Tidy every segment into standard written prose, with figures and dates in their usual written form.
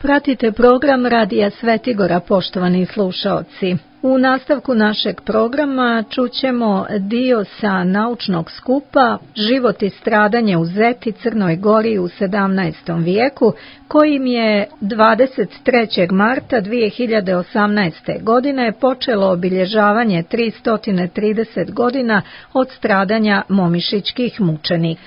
Pratite program Radija Svetigora, poštovani slušaoci. U nastavku našeg programa čućemo dio sa naučnog skupa Život i stradanje u Zeti, Crnoj Gori u 17. vijeku, kojim je 23. marta 2018. godine počelo obilježavanje 330 godina od stradanja momišićkih mučenika.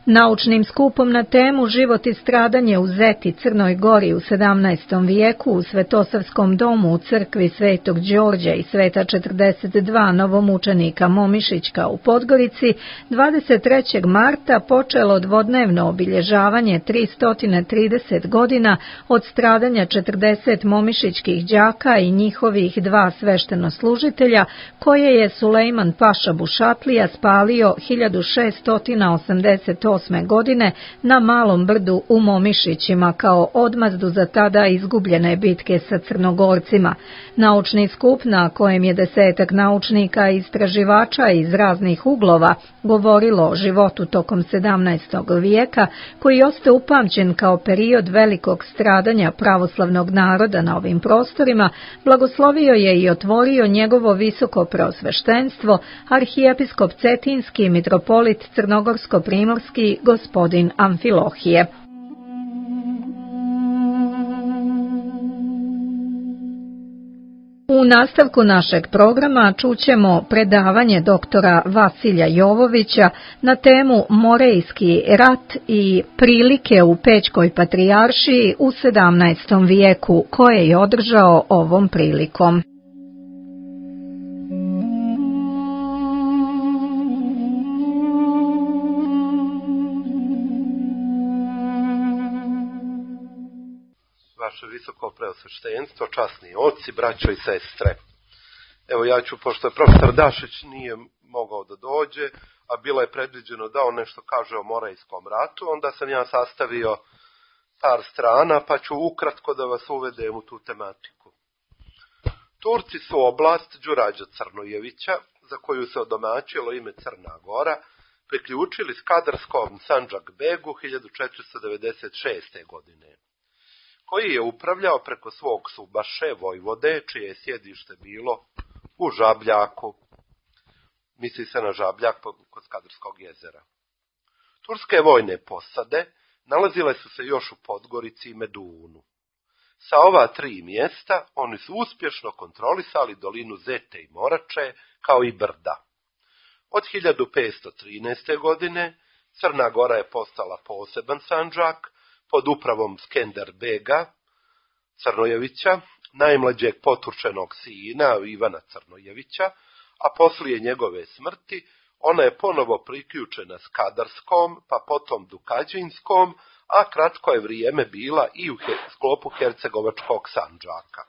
Naučnim skupom na temu Život i stradanje u Zeti, Crnoj Gori u 17. vijeku u Svetosavskom domu u crkvi Svetog Đorđa i Sveta 42 novomučenika Momišićka u Podgorici 23. marta počelo dvodnevno obilježavanje 330 godina od stradanja 40 momišićkih đaka i njihovih dva sveštenoslužitelja koje je Sulejman Paša Bušatlija spalio 1688. godine na Malom brdu u Momišićima kao odmazdu za tada izgubljene bitke sa Crnogorcima. Naučni skup na kojem je 10 naučnika i istraživača iz raznih uglova govorilo o životu tokom 17. vijeka, koji ostaje upamćen kao period velikog stradanja pravoslavnog naroda na ovim prostorima, blagoslovio je i otvorio njegovo visoko preosveštenstvo, arhijepiskop Cetinski, mitropolit Crnogorsko-primorski, gospodin Amfilohije. U nastavku našeg programa čućemo predavanje doktora Vasilja Jovovića na temu Morejski rat i prilike u Pećkoj patrijaršiji u 17. vijeku, koje je održao ovom prilikom. Vaše visoko preosveštenstvo, časni oci, braćo i sestre. Evo ja ću, pošto je profesor Dašić nije mogao da dođe, a bilo je predviđeno da on nešto kaže o Morejskom ratu, onda sam ja sastavio par strana, pa ću ukratko da vas uvedem u tu tematiku. Turci su oblast Đurađa Crnojevića, za koju se odomaćilo ime Crna Gora, priključili Skadarskom Sandžak Begu 1496. godine. Koji je upravljao preko svog subaše Vojvode, čije je sjedište bilo u Žabljaku. Misli se na Žabljak kod Skadarskog jezera. Turske vojne posade nalazile su se još u Podgorici i Medunu. Sa ova tri mjesta oni su uspješno kontrolisali dolinu Zete i Morače, kao i brda. Od 1513. godine Crna Gora je postala poseban Sandžak, pod upravom Skender Bega Crnojevića, najmlađeg poturčenog sina Ivana Crnojevića, a poslije njegove smrti ona je ponovo priključena Skadarskom, pa potom Dukađinskom, a kratko je vrijeme bila i u sklopu Hercegovačkog Sandžaka.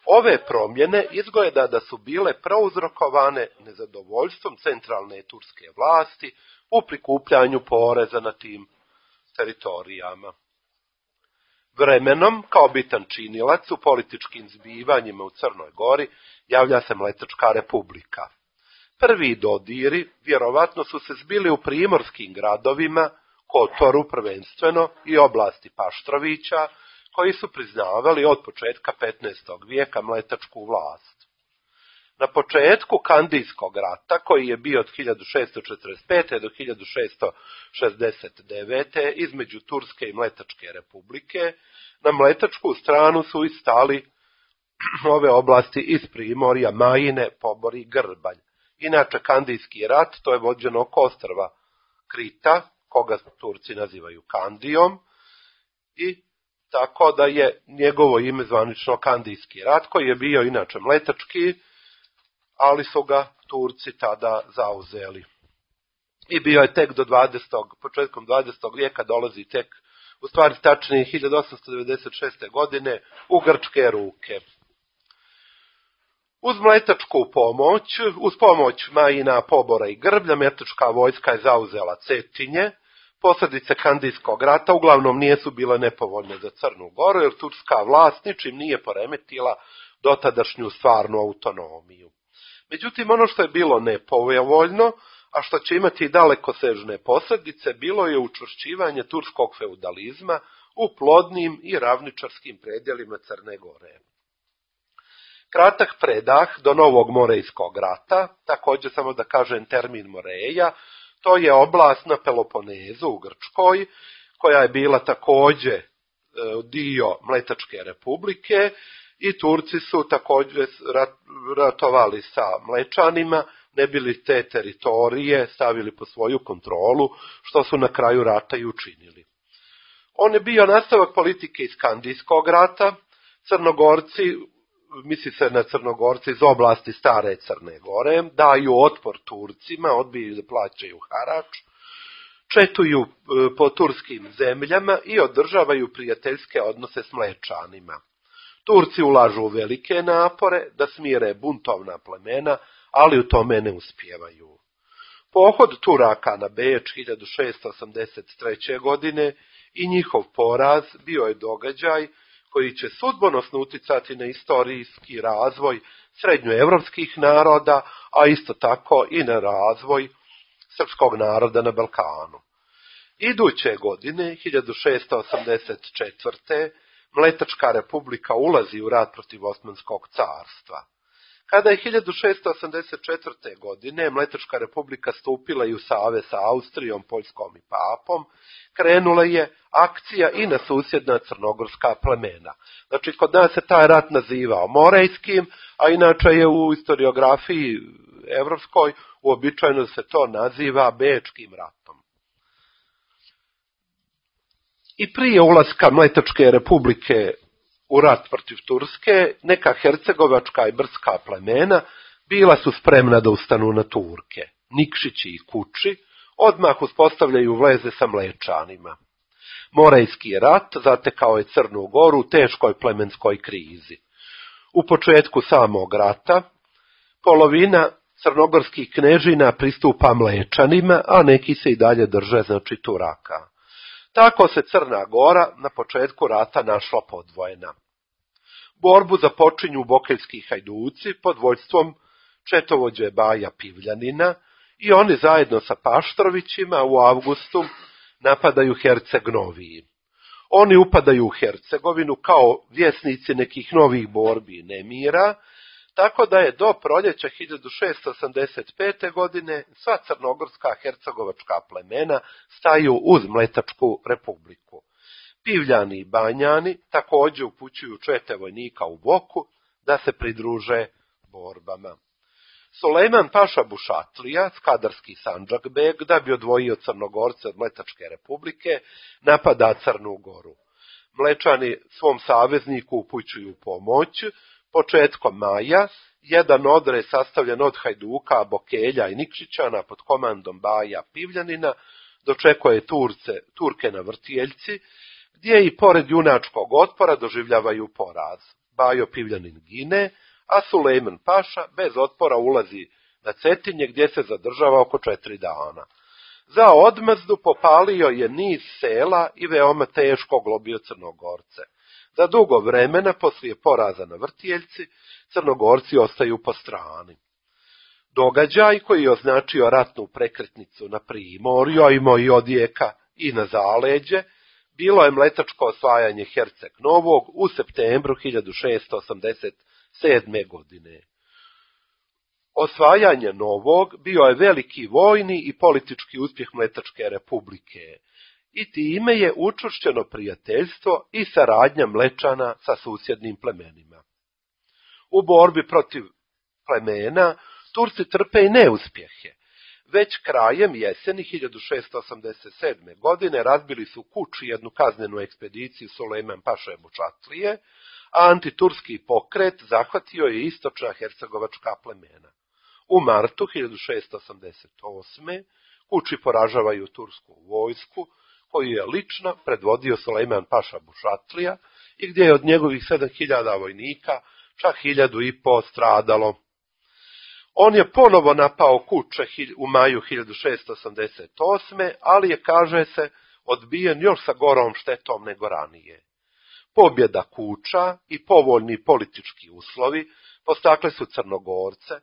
Ove promjene izgleda da su bile prouzrokovane nezadovoljstvom centralne turske vlasti u prikupljanju poreza na tim teritorijama. Vremenom, kao bitan činilac u političkim zbivanjima u Crnoj Gori, javlja se Mletačka republika. Prvi dodiri vjerovatno su se zbili u primorskim gradovima, Kotoru prvenstveno i oblasti Paštrovića, koji su priznavali od početka 15. vijeka mletačku vlast. Na početku Kandijskog rata, koji je bio od 1645. do 1669. između Turske i Mletačke republike, na mletačku stranu su i stali ove oblasti iz Primorja, Majine, Pobor i Grbanj. Inače, Kandijski rat, to je vođeno oko ostrva Krita, koga Turci nazivaju Kandijom, i tako da je njegovo ime zvanično Kandijski rat, koji je bio inače mletački, ali su ga Turci tada zauzeli. I bio je tek do početkom 20. vijeka dolazi tek, u stvari tačnije 1896. godine, u grčke ruke. Uz mletačku pomoć, uz pomoć Majina, Pobora i Grblja, mletačka vojska je zauzela Cetinje. Posljedice Kandijskog rata uglavnom nisu bile nepovoljne za Crnu Goru, jer turska vlast ničim nije poremetila dotadašnju stvarnu autonomiju. Međutim, ono što je bilo nepovoljno, a što će imati i dalekosežne posljedice, bilo je učvršćivanje turskog feudalizma u plodnim i ravničarskim predjelima Crne Gore. Kratak predah do Novog Morejskog rata, također samo da kažem termin Moreja, to je oblast na Peloponezu u Grčkoj, koja je bila također dio Mletačke republike i Turci su također ratovali sa Mlečanima, ne bili te teritorije stavili pod svoju kontrolu, što su na kraju rata i učinili. On je bio nastavak politike iz Skandijskog rata. Crnogorci, misli se na Crnogorci iz oblasti stare Crne Gore, daju otpor Turcima, odbijaju da plaćaju harač, četuju po turskim zemljama i održavaju prijateljske odnose s Mlečanima. Turci ulažu velike napore da smire buntovna plemena, ali u tome ne uspijevaju. Pohod Turaka na Beč 1683. godine i njihov poraz bio je događaj koji će sudbonosno uticati na istorijski razvoj srednjoevropskih naroda, a isto tako i na razvoj srpskog naroda na Balkanu. Iduće godine, 1684. Mletačka republika ulazi u rat protiv Osmanskog carstva. Kada je 1684. godine Mletačka republika stupila i u savez sa Austrijom, Poljskom i Papom, krenula je akcija i na susjedna crnogorska plemena. Znači, kod nas se taj rat nazivao Morejskim, a inače je u historiografiji evropskoj uobičajeno se to naziva Bečkim ratom. I prije ulaska Mletačke republike u rat protiv Turske, neka hercegovačka i brdska plemena bila su spremna da ustanu na Turke. Nikšići i Kuči odmah uspostavljaju veze sa Mlečanima. Morejski rat zatekao je Crnu Goru u teškoj plemenskoj krizi. U početku samog rata polovina crnogorskih knežina pristupa Mlečanima, a neki se i dalje drže, znači, Turaka. Tako se Crna Gora na početku rata našla podvojena. Borbu započinju bokeljski hajduci pod vođstvom četovođe Baja Pivljanina i oni zajedno sa Paštrovićima u avgustu napadaju Herceg Noviji. Oni upadaju u Hercegovinu kao vjesnici nekih novih borbi i nemira, tako da je do proljeća 1685. godine sva crnogorska hercegovačka plemena staju uz Mletačku republiku. Pivljani i Banjani također upućuju čete vojnika u Boku da se pridruže borbama. Sulejman Paša Bušatlija, skadarski Sandžakbeg, da bi odvojio Crnogorce od Mletačke republike, napada Crnu Goru. Mlečani svom savezniku upućuju pomoć. Početkom maja, jedan odred sastavljen od Hajduka, Bokelja i Nikšićana pod komandom Baja Pivljanina dočekuje Turke na Vrtijeljci, gdje i pored junačkog otpora doživljavaju poraz. Bajo Pivljanin gine, a Sulejman Paša bez otpora ulazi na Cetinje, gdje se zadržava oko 4 dana. Za odmazdu popalio je niz sela i veoma teško globio Crnogorce. Za dugo vremena, poslije poraza na Vrtijeljci, Crnogorci ostaju po strani. Događaj koji je označio ratnu prekretnicu na Primorju, a imao i odjeka i na zaleđe, bilo je mletačko osvajanje Herceg Novog u septembru 1687. godine. Osvajanje Novog bio je veliki vojni i politički uspjeh Mletačke republike i time je učvršćeno prijateljstvo i saradnja Mlečana sa susjednim plemenima. U borbi protiv plemena Turci trpe i neuspjehe. Već krajem jeseni 1687. godine razbili su Kuči jednu kaznenu ekspediciju Sulejman Paše Bušatlije, a antiturski pokret zahvatio je istočna hercegovačka plemena. U martu 1688. Kuči poražavaju tursku vojsku, koju je lično predvodio Sulejman Paša Bušatlija i gdje je od njegovih 7000 vojnika čak 1500 stradalo. On je ponovo napao Kuče u maju 1688. ali je, kaže se, odbijen još sa gorom štetom nego ranije. Pobjeda Kuča i povoljni politički uslovi postakle su Crnogorce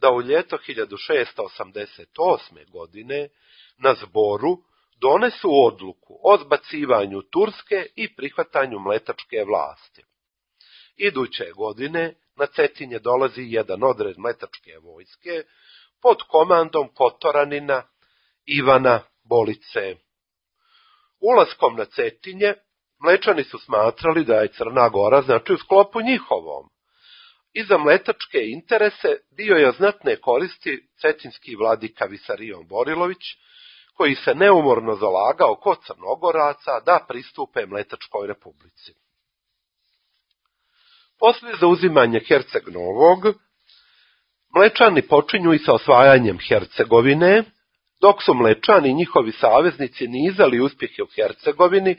da u ljeto 1688. godine na zboru donesu odluku o zbacivanju Turske i prihvatanju mletačke vlasti. Iduće godine na Cetinje dolazi jedan odred mletačke vojske pod komandom Kotoranina Ivana Bolice. Ulaskom na Cetinje Mlečani su smatrali da je Crna Gora znači u sklopu njihovom. I za mletačke interese bio je znatne koristi cetinski vladika Visarion Borilović, koji se neumorno zalagao kod Crnogoraca da pristupe Mletačkoj republici. Poslije zauzimanja Herceg Novog, Mlečani počinju i sa osvajanjem Hercegovine, dok su Mlečani i njihovi saveznici nizali uspjehe u Hercegovini,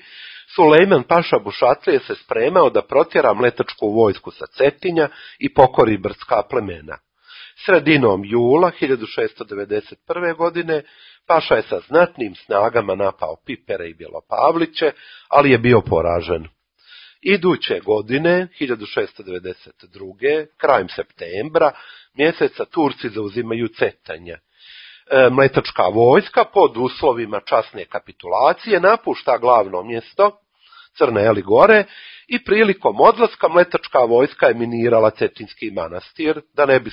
Sulejman Paša Bušatlije se spremao da protjera mletačku vojsku sa Cetinja i pokori brdska plemena. Sredinom jula 1691. godine Paša je sa znatnim snagama napao Pipere i Bjelopavliće, ali je bio poražen. Iduće godine, 1692. krajem septembra, mjeseca Turci zauzimaju Cetinje. Mletačka vojska pod uslovima časne kapitulacije napušta glavno mjesto Crne Gore i prilikom odlaska mletačka vojska je minirala Cetinski manastir da ne bi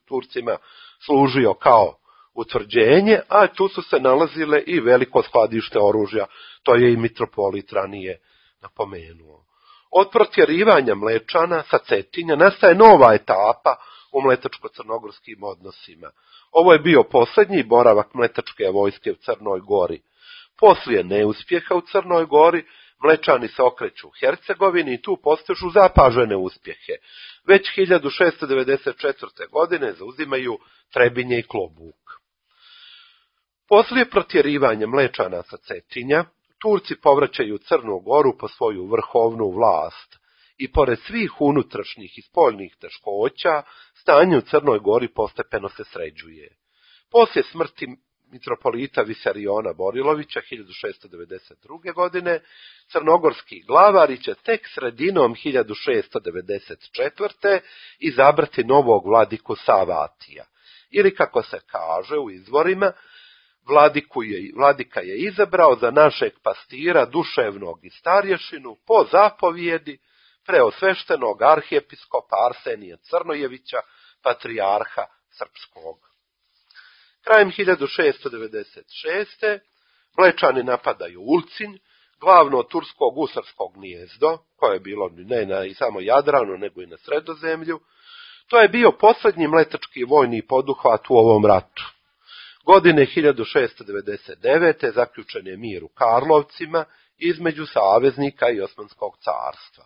Turcima služio kao utvrđenje, a tu su se nalazile i veliko skladište oružja, to je i mitropolit ranije napomenuo. Od protjerivanja Mlečana sa Cetinja nastaje nova etapa u mletačko-crnogorskim odnosima. Ovo je bio posljednji boravak mletačke vojske u Crnoj Gori. Poslije neuspjeha u Crnoj Gori, Mlečani se okreću u Hercegovini i tu postižu zapažene uspjehe. Već 1694. godine zauzimaju Trebinje i Klobuk. Poslije protjerivanja Mlečana sa Cetinja, Turci povraćaju Crnu Goru po svoju vrhovnu vlast i pored svih unutrašnjih i spoljnih teškoća, stanje u Crnoj Gori postepeno se sređuje. Poslije smrti mitropolita Visariona Borilovića 1692. godine, crnogorski glavari će tek sredinom 1694. izabrati novog vladiku Savatija. Ili kako se kaže u izvorima, vladika je izabrao za našeg pastira duševnog i starješinu po zapovjedi preosveštenog arhijepiskopa Arsenija Crnojevića, patrijarha srpskog. Krajem 1696. Mlečani napadaju Ulcinj, glavno tursko gusarsko gnijezdo, koje je bilo ne na samo Jadranu, nego i na Sredozemlju. To je bio posljednji mletački vojni poduhvat u ovom ratu. Godine 1699. zaključen je mir u Karlovcima između saveznika i Osmanskog carstva.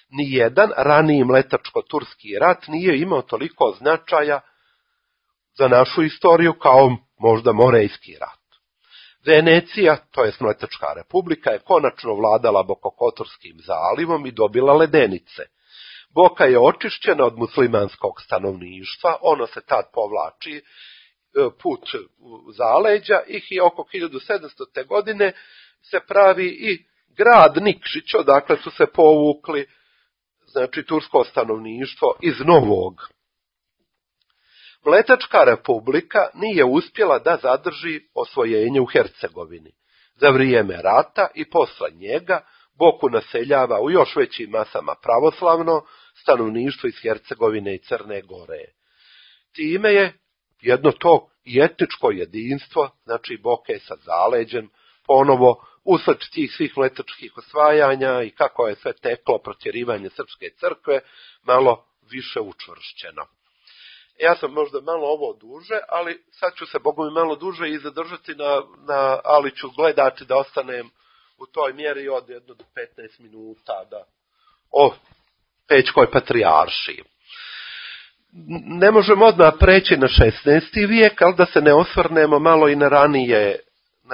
Nijedan raniji mletačko-turski rat nije imao toliko značaja za našu istoriju kao možda Morejski rat. Venecija, to jest Mletačka republika, je konačno vladala Bokokotorskim zalivom i dobila ledenice. Boka je očišćena od muslimanskog stanovništva, ono se tad povlači put u zaleđa i oko 1700. godine se pravi i grad Nikšić, odakle su se povukli znači tursko stanovništvo iz Novog. Mletačka republika nije uspjela da zadrži osvojenje u Hercegovini. Za vrijeme rata i posle njega Boku naseljava u još većim masama pravoslavno stanovništvo iz Hercegovine i Crne Gore. Time je jedno to i etničko jedinstvo, znači Boke sa zaleđem, ponovo usled tih svih mletačkih osvajanja i kako je sve teklo protjerivanje srpske crkve, malo više učvršćeno. Ja sam možda malo ovo duže, ali sad ću se, Bogu mi, malo duže i zadržati ali ću gledati da ostanem u toj mjeri od 1 do 15 minuta o Pećkoj patrijaršiji. Ne možemo odmah preći na 16. vijek, ali da se ne osvrnemo malo i na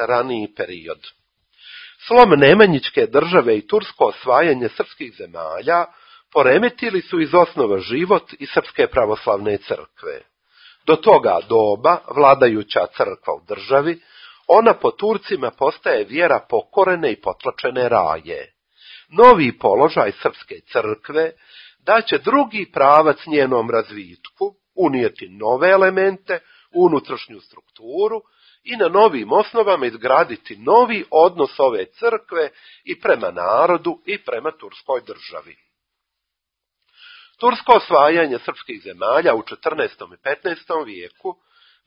raniji period. Slom Nemanjićke države i tursko osvajanje srpskih zemalja poremetili su iz osnova život i Srpske pravoslavne crkve. Do toga doba vladajuća crkva u državi, ona po Turcima postaje vjera pokorene i potlačene raje. Novi položaj Srpske crkve daće drugi pravac njenom razvitku, unijeti nove elemente u unutrašnju strukturu i na novim osnovama izgraditi novi odnos ove crkve i prema narodu i prema turskoj državi. Tursko osvajanje srpskih zemalja u 14. i 15. vijeku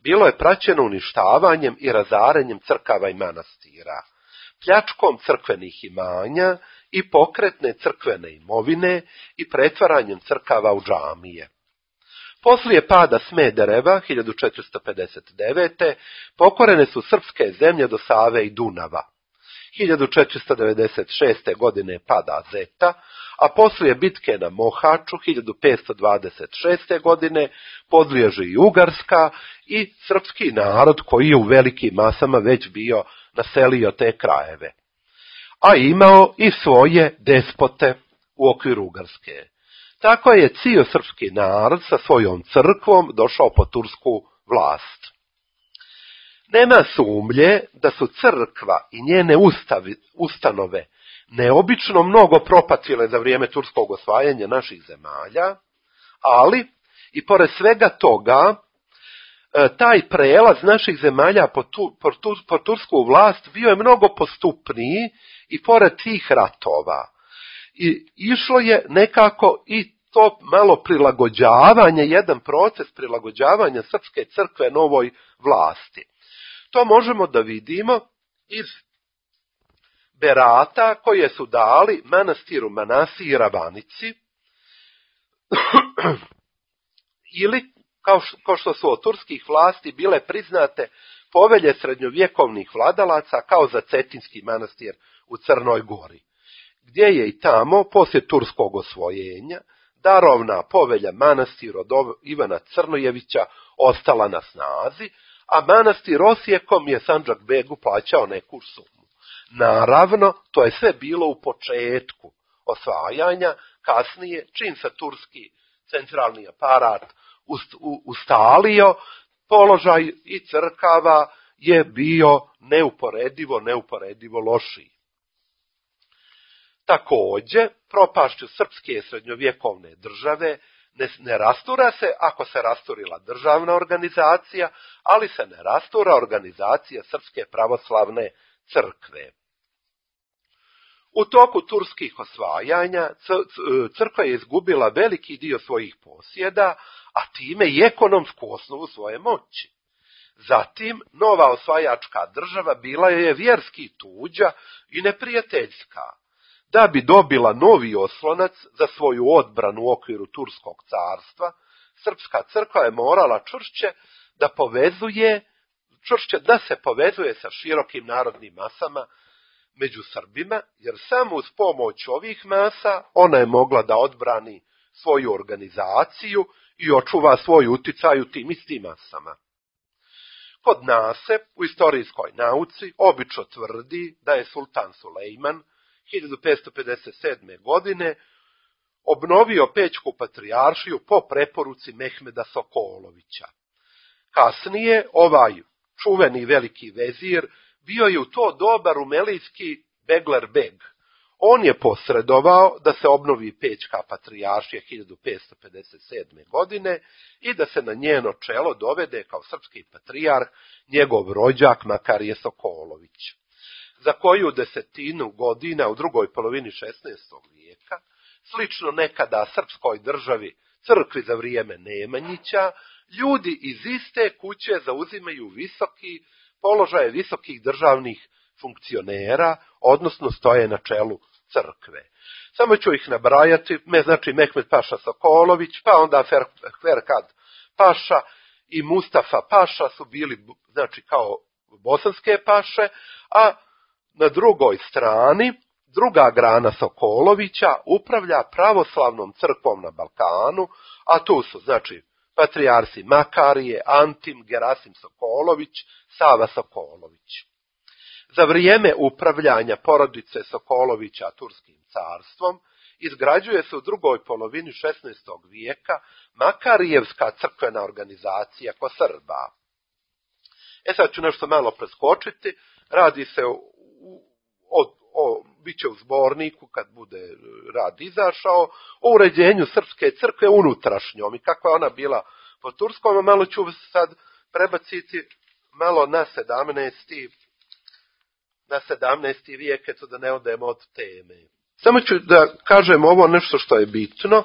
bilo je praćeno uništavanjem i razaranjem crkava i manastira, pljačkom crkvenih imanja i pokretne crkvene imovine i pretvaranjem crkava u džamije. Poslije pada Smedereva 1459. pokorene su srpske zemlje do Save i Dunava. 1496. godine pada Zeta, a poslije bitke na Mohaču 1526. godine podliježe i Ugarska i srpski narod koji je u velikim masama već bio naselio te krajeve, a imao i svoje despote u okviru Ugarske. Tako je cijel srpski narod sa svojom crkvom došao pod tursku vlast. Nema sumnje da su crkva i njene ustanove neobično mnogo propatile za vrijeme turskog osvajanja naših zemalja, ali i pored svega toga, taj prelaz naših zemalja pod tursku vlast bio je mnogo postupniji i pored tih ratova. I išlo je nekako i to malo prilagođavanje, jedan proces prilagođavanja srpske crkve novoj vlasti. To možemo da vidimo iz berata koje su dali manastiru Manasi i Ravanici, ili kao što su od turskih vlasti bile priznate povelje srednjovjekovnih vladalaca kao za Cetinski manastir u Crnoj Gori, gdje je i tamo, poslije turskog osvojenja, darovna povelja manastir od Ivana Crnojevića ostala na snazi, a manastir Osijekom je Sandžak-begu plaćao neku sumu. Naravno, to je sve bilo u početku osvajanja, kasnije, čim se turski centralni aparat ustalio, položaj i crkava je bio neuporedivo lošiji. Također, propašću srpske srednjovjekovne države ne rastura se ako se rasturila državna organizacija, ali se ne rastura organizacija Srpske pravoslavne crkve. U toku turskih osvajanja crkva je izgubila veliki dio svojih posjeda, a time i ekonomsku osnovu svoje moći. Zatim, nova osvajačka država bila je vjerski tuđa i neprijateljska. Da bi dobila novi oslonac za svoju odbranu u okviru Turskog carstva, srpska crkva je morala čvršće da se povezuje sa širokim narodnim masama među Srbima, jer samo uz pomoć ovih masa ona je mogla da odbrani svoju organizaciju i očuva svoj uticaj u tim istim masama. Kod nas se u istorijskoj nauci obično tvrdi da je sultan Sulejman 1557. godine obnovio Pećku patrijaršiju po preporuci Mehmeda Sokolovića. Kasnije ovaj čuveni veliki vezir bio je u to doba rumelijski Beglerbeg. On je posredovao da se obnovi Pećka patrijaršija 1557. godine i da se na njeno čelo dovede kao srpski patrijarh njegov rođak Makarije Sokolović. Za koju desetinu godina u drugoj polovini 16. vijeka, slično nekada srpskoj državi, crkvi za vrijeme Nemanjića, ljudi iz iste kuće zauzimaju visoki položaje visokih državnih funkcionera, odnosno stoje na čelu crkve. Samo ću ih nabrajati, znači Mehmed Paša Sokolović, pa onda Ferkad Paša i Mustafa Paša su bili, znači, kao bosanske paše, a na drugoj strani, druga grana Sokolovića upravlja pravoslavnom crkvom na Balkanu, a tu su, znači, patrijarsi Makarije, Antim, Gerasim Sokolović, Sava Sokolović. Za vrijeme upravljanja porodice Sokolovića Turskim carstvom izgrađuje se u drugoj polovini 16. vijeka Makarijevska crkvena organizacija kod Srba. Sad ću nešto malo preskočiti, radi se bit će u zborniku kad bude rad izašao, o uređenju srpske crkve unutrašnjom i kakva ona bila po turskom, a malo ću sad prebaciti malo na 17. vijek, eto da ne odemo od teme. Samo ću da kažem ovo nešto što je bitno.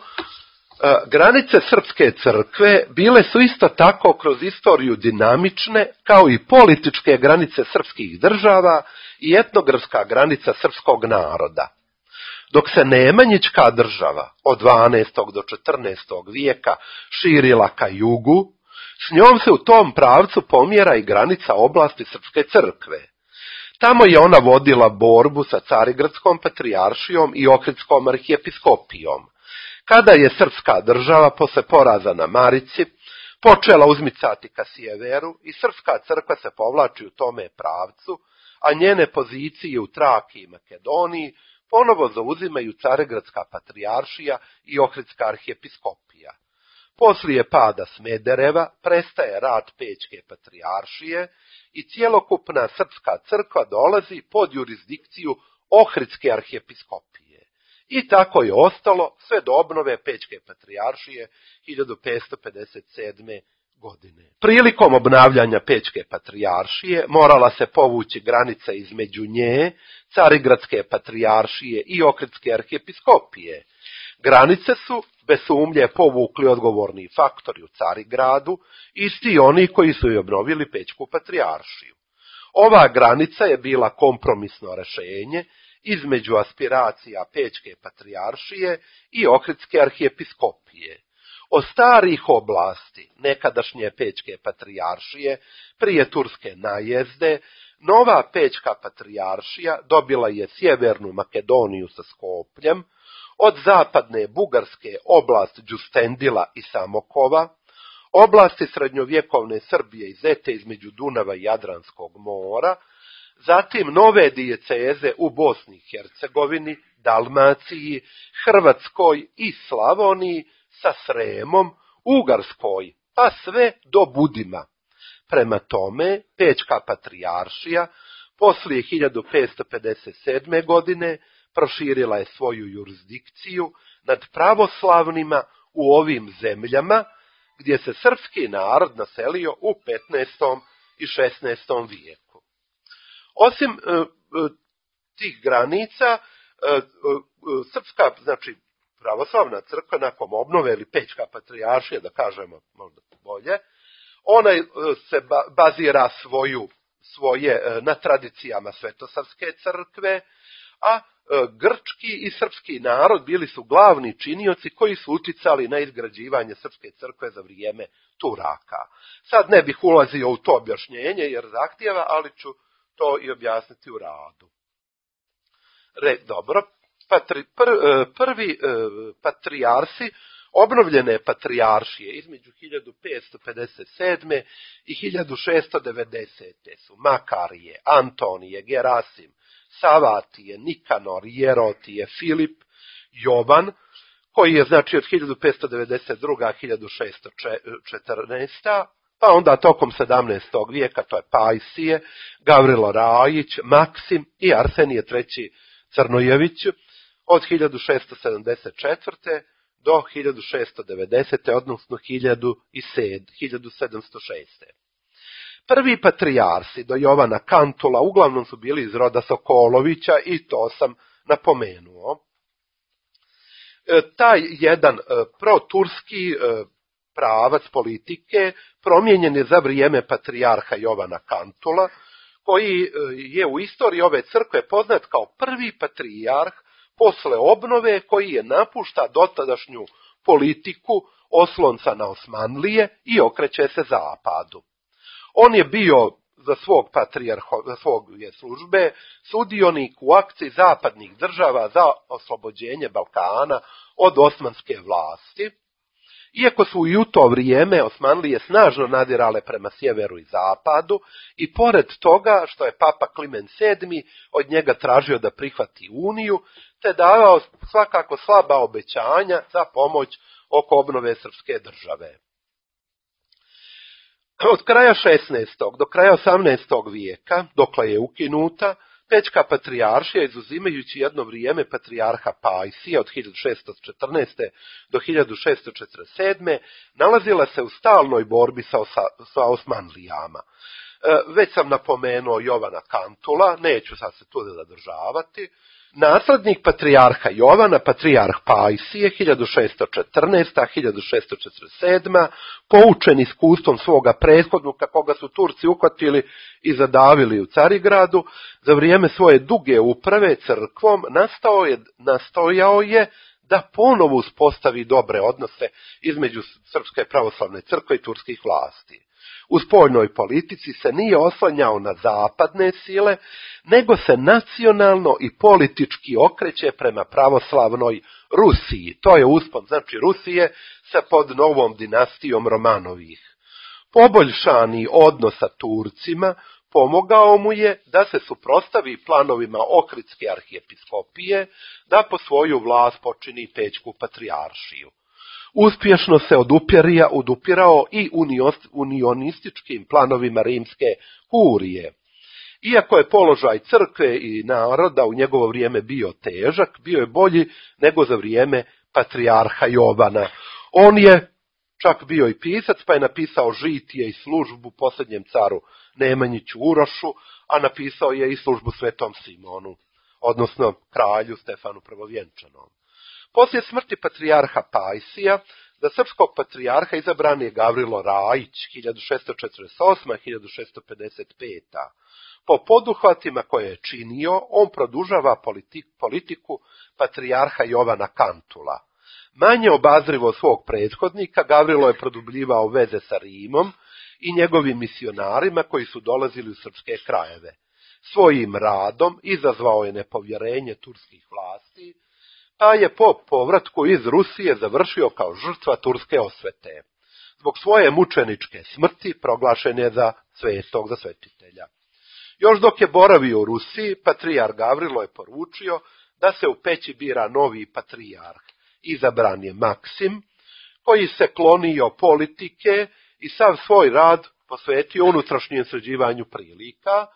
Granice srpske crkve bile su isto tako kroz istoriju dinamične, kao i političke granice srpskih država i etnografska granica srpskog naroda. Dok se Nemanjićka država od 12. do 14. vijeka širila ka jugu, s njom se u tom pravcu pomjera i granica oblasti srpske crkve. Tamo je ona vodila borbu sa Carigradskom patrijaršijom i Ohridskom arhijepiskopijom. Kada je srpska država posle poraza na Marici počela uzmicati ka sjeveru i srpska crkva se povlači u tome pravcu, a njene pozicije u Traki i Makedoniji ponovo zauzimaju Carigradska patrijaršija i Ohridska arhijepiskopija. Poslije pada Smedereva prestaje rad Pećke patrijaršije i cjelokupna srpska crkva dolazi pod jurisdikciju Ohridske arhijepiskopije. I tako je ostalo sve do obnove Pećke patrijaršije 1557. godine. Prilikom obnavljanja Pećke patrijaršije morala se povući granica između nje, Carigradske patrijaršije i Ohridske arhijepiskopije. Granice su bez sumnje povukli odgovorni faktori u Carigradu, isti oni koji su i obnovili Pećku patrijaršiju. Ova granica je bila kompromisno rješenje između aspiracija Pećke patrijaršije i Ohridske arhijepiskopije. Od starih oblasti nekadašnje Pećke patrijaršije prije turske najezde, nova Pećka patrijaršija dobila je sjevernu Makedoniju sa Skopljem, od zapadne Bugarske oblast Đustendila i Samokova, oblasti srednjovjekovne Srbije i Zete između Dunava i Jadranskog mora, zatim nove dijeceze u Bosni i Hercegovini, Dalmaciji, Hrvatskoj i Slavoniji sa Sremom, Ugarskoj, pa sve do Budima. Prema tome, Pećka patrijaršija poslije 1557. godine proširila je svoju jurisdikciju nad pravoslavnima u ovim zemljama, gdje se srpski narod naselio u 15. i 16. vijeku. Osim tih granica, srpska, znači pravoslavna crkva nakon obnove ili Pećka patrijaršija, da kažemo možda bolje, ona se bazira svoje na tradicijama Svetosavske crkve, a grčki i srpski narod bili su glavni činioci koji su uticali na izgrađivanje srpske crkve za vrijeme Turaka. Sad ne bih ulazio u to objašnjenje jer zahtijeva, ali ću to i objasniti u radu. Dobro, prvi patrijarsi obnovljene patrijaršije između 1557. i 1690. su Makarije, Antonije, Gerasim, Savatije, Nikanor, Jerotije, Filip, Jovan, koji je znači od 1592. 1614. Pa onda tokom 17. vijeka, to je Pajsije, Gavrilo Rajić, Maksim i Arsenije III. Crnojević od 1674. do 1690. odnosno 1706. Prvi patrijarsi do Jovana Kantula uglavnom su bili iz roda Sokolovića i to sam napomenuo. Taj jedan proturski pravac politike promijenjen je za vrijeme patrijarha Jovana Kantula, koji je u istoriji ove crkve poznat kao prvi patrijarh posle obnove koji je napušta dotadašnju politiku oslonca na Osmanlije i okreće se zapadu. On je bio za svoje službe sudionik u akciji zapadnih država za oslobođenje Balkana od osmanske vlasti. Iako su i u to vrijeme Osmanlije snažno nadirale prema sjeveru i zapadu i pored toga što je Papa Klimen VII od njega tražio da prihvati uniju, te davao svakako slaba obećanja za pomoć oko obnove srpske države. Od kraja 16. do kraja 18. vijeka, dokle je ukinuta, Pećka patrijaršija, izuzimajući jedno vrijeme patrijarha Pajsija od 1614. do 1647. nalazila se u stalnoj borbi sa Osmanlijama. Već sam napomenuo Jovana Kantula, neću sad se tu zadržavati. Naslednik patrijarha Jovana, patrijarh Pajsije, 1614-1647, poučen iskustvom svoga prethodnika, koga su Turci uhvatili i zadavili u Carigradu, za vrijeme svoje duge uprave crkvom nastojao je da ponovo uspostavi dobre odnose između Srpske pravoslavne crkve i turskih vlasti. U spoljnoj politici se nije oslanjao na zapadne sile, nego se nacionalno i politički okreće prema pravoslavnoj Rusiji. To je uspon, znači Rusije sa pod novom dinastijom Romanovih. Poboljšani odnos sa Turcima pomogao mu je da se suprotstavi planovima Ohridske arhijepiskopije da po svoju vlast počini Pećku patrijaršiju. Uspješno se odupirao i unionističkim planovima rimske kurije. Iako je položaj crkve i naroda u njegovo vrijeme bio težak, bio je bolji nego za vrijeme patrijarha Jovana. On je čak bio i pisac, pa je napisao žitije i službu posljednjem caru Nemanjiću Urošu, a napisao je i službu Svetom Simonu, odnosno kralju Stefanu Prvovjenčanom. Poslije smrti patrijarha Pajsija, za srpskog patrijarha izabran je Gavrilo Rajić, 1648-1655. Po poduhvatima koje je činio, on produžava politiku patrijarha Jovana Kantula. Manje obazrivo svog prethodnika, Gavrilo je produbljivao veze sa Rimom i njegovim misionarima koji su dolazili u srpske krajeve. Svojim radom izazvao je nepovjerenje turskih vlasti, pa je po povratku iz Rusije završio kao žrtva turske osvete. Zbog svoje mučeničke smrti proglašen je za svetog, za svetitelja. Još dok je boravio u Rusiji, patrijarh Gavrilo je poručio da se u Peći bira novi patrijarh. Izabran je Maksim, koji se klonio politike i sav svoj rad posvetio unutrašnjem sređivanju prilika.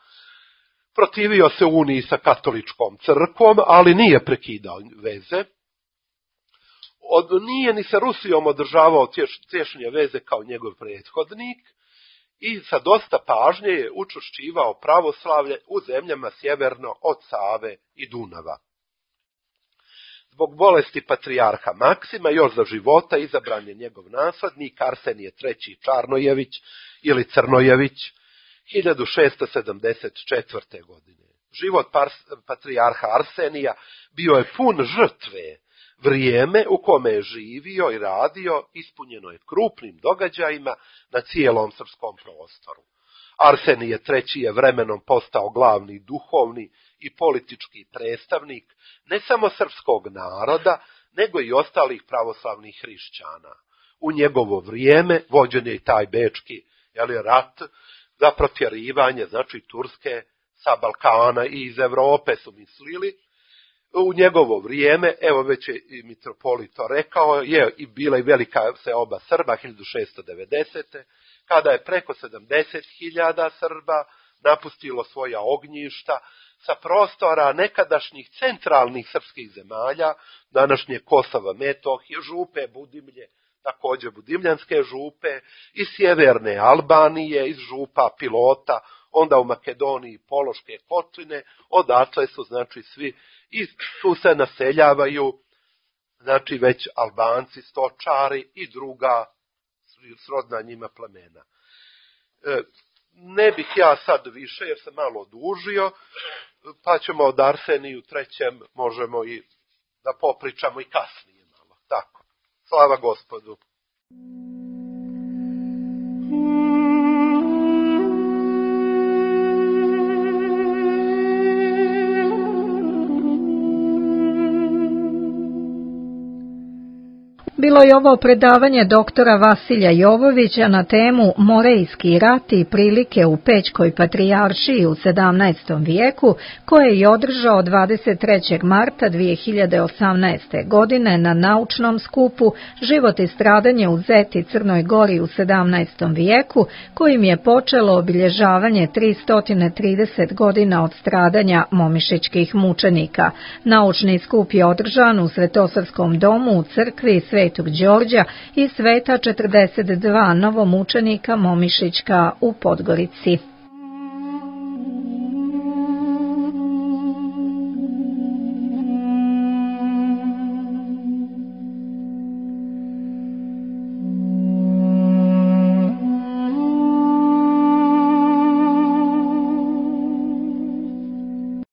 Protivio se uniji sa katoličkom crkvom, ali nije prekidao veze. Nije ni sa Rusijom održavao tješnje veze kao njegov prethodnik i sa dosta pažnje je učvršćivao pravoslavlje u zemljama sjeverno od Save i Dunava. Zbog bolesti patrijarha Maksima još za života izabran je njegov naslednik Arsenije III. Čarnojević ili Crnojević, 1674. godine. Život patrijarha Arsenija bio je pun žrtve. Vrijeme u kome je živio i radio ispunjeno je krupnim događajima na cijelom srpskom prostoru. Arsenije III. Je vremenom postao glavni duhovni i politički predstavnik ne samo srpskog naroda, nego i ostalih pravoslavnih hrišćana. U njegovo vrijeme vođen je i taj bečki rat za protjerivanje, znači Turske sa Balkana i iz Europe su mislili. U njegovo vrijeme, evo već je i mitropolit to rekao, je i bila i velika seoba Srba 1690. kada je preko 70.000 Srba napustilo svoja ognjišta sa prostora nekadašnjih centralnih srpskih zemalja, današnje Kosova, Metohije, župe Budimlje, također Budimljanske župe, iz sjeverne Albanije, iz župa Pilota, onda u Makedoniji Pološke kotline, odatle su znači svi i tu se naseljavaju znači već Albanci, stočari i druga srodna njima plemena. Ne bih ja sad više jer sam malo odužio, pa ćemo od Arseniju III. Možemo i da popričamo i kasnije malo. Tako. Slava Gospodu. Bilo je ovo predavanje doktora Vasilja Jovovića na temu Morejski rat i prilike u Pećkoj patrijaršiji u 17. vijeku, koje je održao 23. marta 2018. godine na naučnom skupu Život i stradanje u Zeti Crnoj Gori u 17. vijeku, kojim je počelo obilježavanje 330 godina od stradanja momišićkih mučenika. Naučni skup je održan u Svetosavskom domu u crkvi Svetog Đorđa i Sveta 42 novomučenika Momišićka u Podgorici.